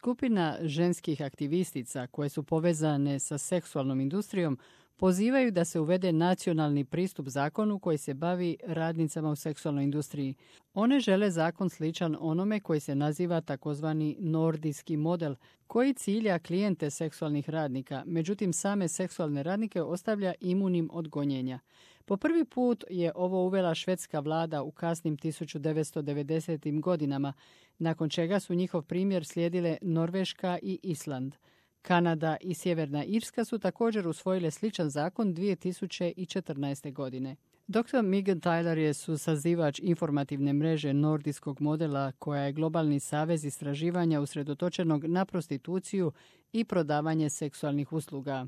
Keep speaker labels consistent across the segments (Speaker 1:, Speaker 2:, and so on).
Speaker 1: Skupina ženskih aktivistica koje su povezane sa seksualnom industrijom pozivaju da se uvede nacionalni pristup zakonu koji se bavi radnicama u seksualnoj industriji. One žele zakon sličan onome koji se naziva takozvani nordijski model, koji cilja klijente seksualnih radnika, međutim same seksualne radnike ostavlja imunim od gonjenja. Po prvi put je ovo uvela švedska vlada u kasnim 1990. godinama, nakon čega su njihov primjer slijedile Norveška i Island. Kanada i Sjeverna Irska su također usvojile sličan zakon 2014. godine. Dr. Megan Tyler je susazivač informativne mreže nordijskog modela koja je globalni savez istraživanja usredotočenog na prostituciju i prodavanje seksualnih usluga.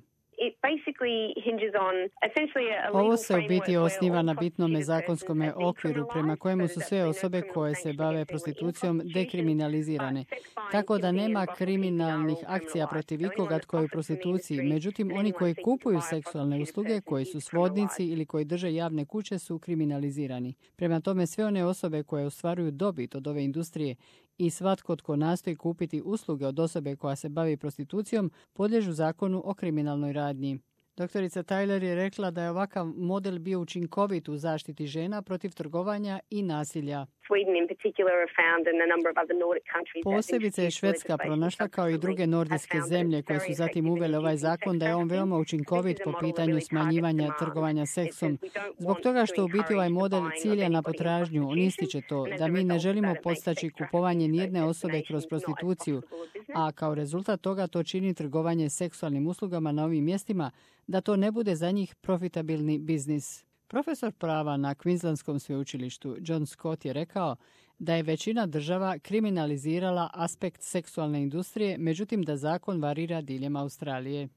Speaker 1: Ovo se u biti osniva na bitnome zakonskome okviru prema kojemu su sve osobe koje se bave prostitucijom dekriminalizirane, tako da nema kriminalnih akcija protiv ikoga tko je u prostituciji. Međutim, oni koji kupuju seksualne usluge, koji su svodnici ili koji drže javne kuće su kriminalizirani. Prema tome, sve one osobe koje ostvaruju dobit od ove industrije i svatko tko nastoji kupiti usluge od osobe koja se bavi prostitucijom podliježu zakonu o kriminalnoj radnji. Doktorica Tyler je rekla da je ovakav model bio učinkovit u zaštiti žena protiv trgovanja i nasilja. Posebice je Švedska pronašla, kao i druge nordijske zemlje koje su zatim uvele ovaj zakon, da je on veoma učinkovit po pitanju smanjivanja trgovanja seksom. Zbog toga što u biti ovaj model cilja na potražnju, on ističe to da mi ne želimo podstaći kupovanje nijedne osobe kroz prostituciju, a kao rezultat toga to čini trgovanje seksualnim uslugama na ovim mjestima, da to ne bude za njih profitabilni biznis. Profesor prava na Queenslandskom sveučilištu John Scott je rekao da je većina država kriminalizirala aspekt seksualne industrije, međutim da zakon varira diljem Australije.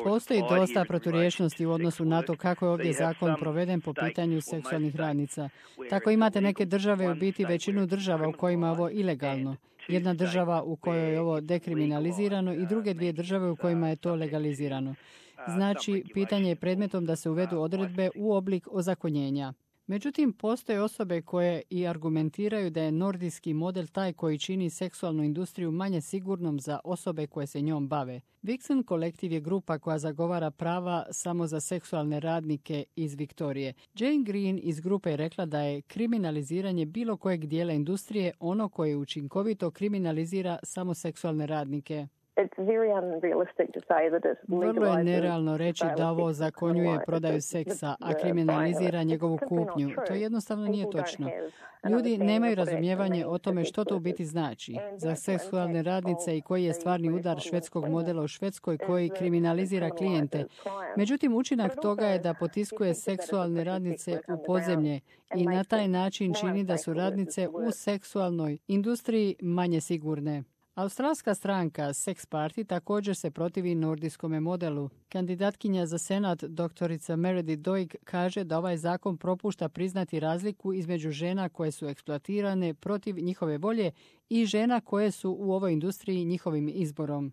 Speaker 1: Postoji dosta proturječnosti u odnosu na to kako je ovdje zakon proveden po pitanju seksualnih radnica. Tako imate neke države, u biti većinu država u kojima je ovo ilegalno. Jedna država u kojoj je ovo dekriminalizirano i druge dvije države u kojima je to legalizirano. Znači, pitanje je predmetom da se uvedu odredbe u oblik ozakonjenja. Međutim, postoje osobe koje i argumentiraju da je nordijski model taj koji čini seksualnu industriju manje sigurnom za osobe koje se njom bave. Vixen kolektiv je grupa koja zagovara prava samo za seksualne radnike iz Viktorije. Jane Green iz grupe je rekla da je kriminaliziranje bilo kojeg dijela industrije ono koje učinkovito kriminalizira samo seksualne radnike. Vrlo je nerealno reći da ovo zakonjuje prodaju seksa, a kriminalizira njegovu kupnju. To jednostavno nije točno. Ljudi nemaju razumijevanje o tome što to u biti znači. Za seksualne radnice i koji je stvarni udar švedskog modela u Švedskoj koji kriminalizira klijente. Međutim, učinak toga je da potiskuje seksualne radnice u podzemlje i na taj način čini da su radnice u seksualnoj industriji manje sigurne. Australska stranka Sex Party također se protivi nordijskome modelu. Kandidatkinja za senat doktorica Meredith Doig kaže da ovaj zakon propušta priznati razliku između žena koje su eksploatirane protiv njihove volje i žena koje su u ovoj industriji njihovim izborom.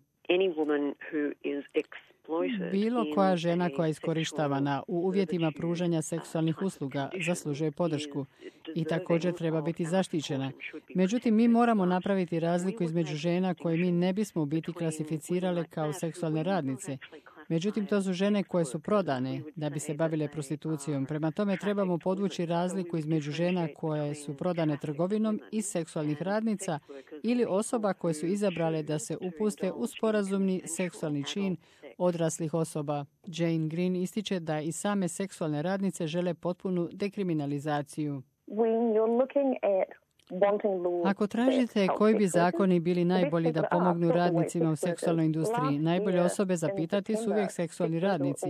Speaker 1: Bilo koja žena koja je iskorištavana u uvjetima pružanja seksualnih usluga zaslužuje podršku i također treba biti zaštićena. Međutim, mi moramo napraviti razliku između žena koje mi ne bismo biti klasificirale kao seksualne radnice. Međutim, to su žene koje su prodane da bi se bavile prostitucijom. Prema tome trebamo podvući razliku između žena koje su prodane trgovinom i seksualnih radnica ili osoba koje su izabrale da se upuste u sporazumni seksualni čin odraslih osoba. Jane Green ističe da i same seksualne radnice žele potpunu dekriminalizaciju. Ako tražite koji bi zakoni bili najbolji da pomognu radnicima u seksualnoj industriji, najbolje osobe zapitati su uvijek seksualni radnici.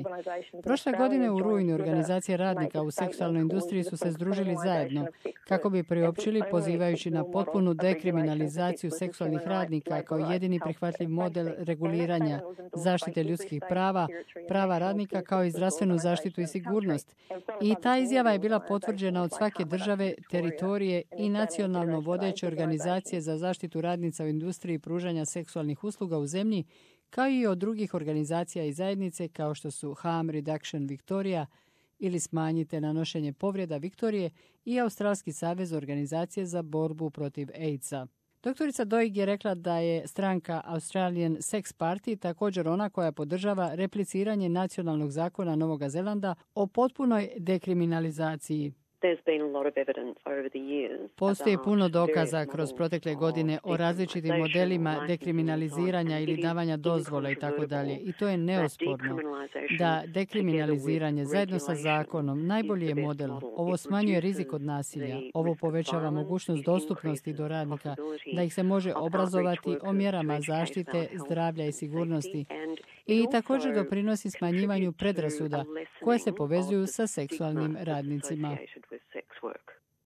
Speaker 1: Prošle godine u rujnu organizacije radnika u seksualnoj industriji su se združili zajedno kako bi priopćili pozivajući na potpunu dekriminalizaciju seksualnih radnika kao jedini prihvatljiv model reguliranja, zaštite ljudskih prava, prava radnika kao i zdravstvenu zaštitu i sigurnost. I ta izjava je bila potvrđena od svake države, teritorije i nacionalne vodeće organizacije za zaštitu radnica u industriji pružanja seksualnih usluga u zemlji, kao i od drugih organizacija i zajednice kao što su Harm Reduction Victoria ili Smanjite nanošenje povreda Viktorije i Australski savez organizacije za borbu protiv AIDS-a. Doktorica Doig je rekla da je stranka Australian Sex Party također ona koja podržava repliciranje nacionalnog zakona Novog Zelanda o potpunoj dekriminalizaciji. Postoji puno dokaza kroz protekle godine o različitim modelima dekriminaliziranja ili davanja dozvola i tako dalje. I to je neosporno da dekriminaliziranje zajedno sa zakonom najbolji je model. Ovo smanjuje rizik od nasilja. Ovo povećava mogućnost dostupnosti do radnika, da ih se može obrazovati o mjerama zaštite, zdravlja i sigurnosti. I također doprinosi smanjivanju predrasuda koje se povezuju sa seksualnim radnicima.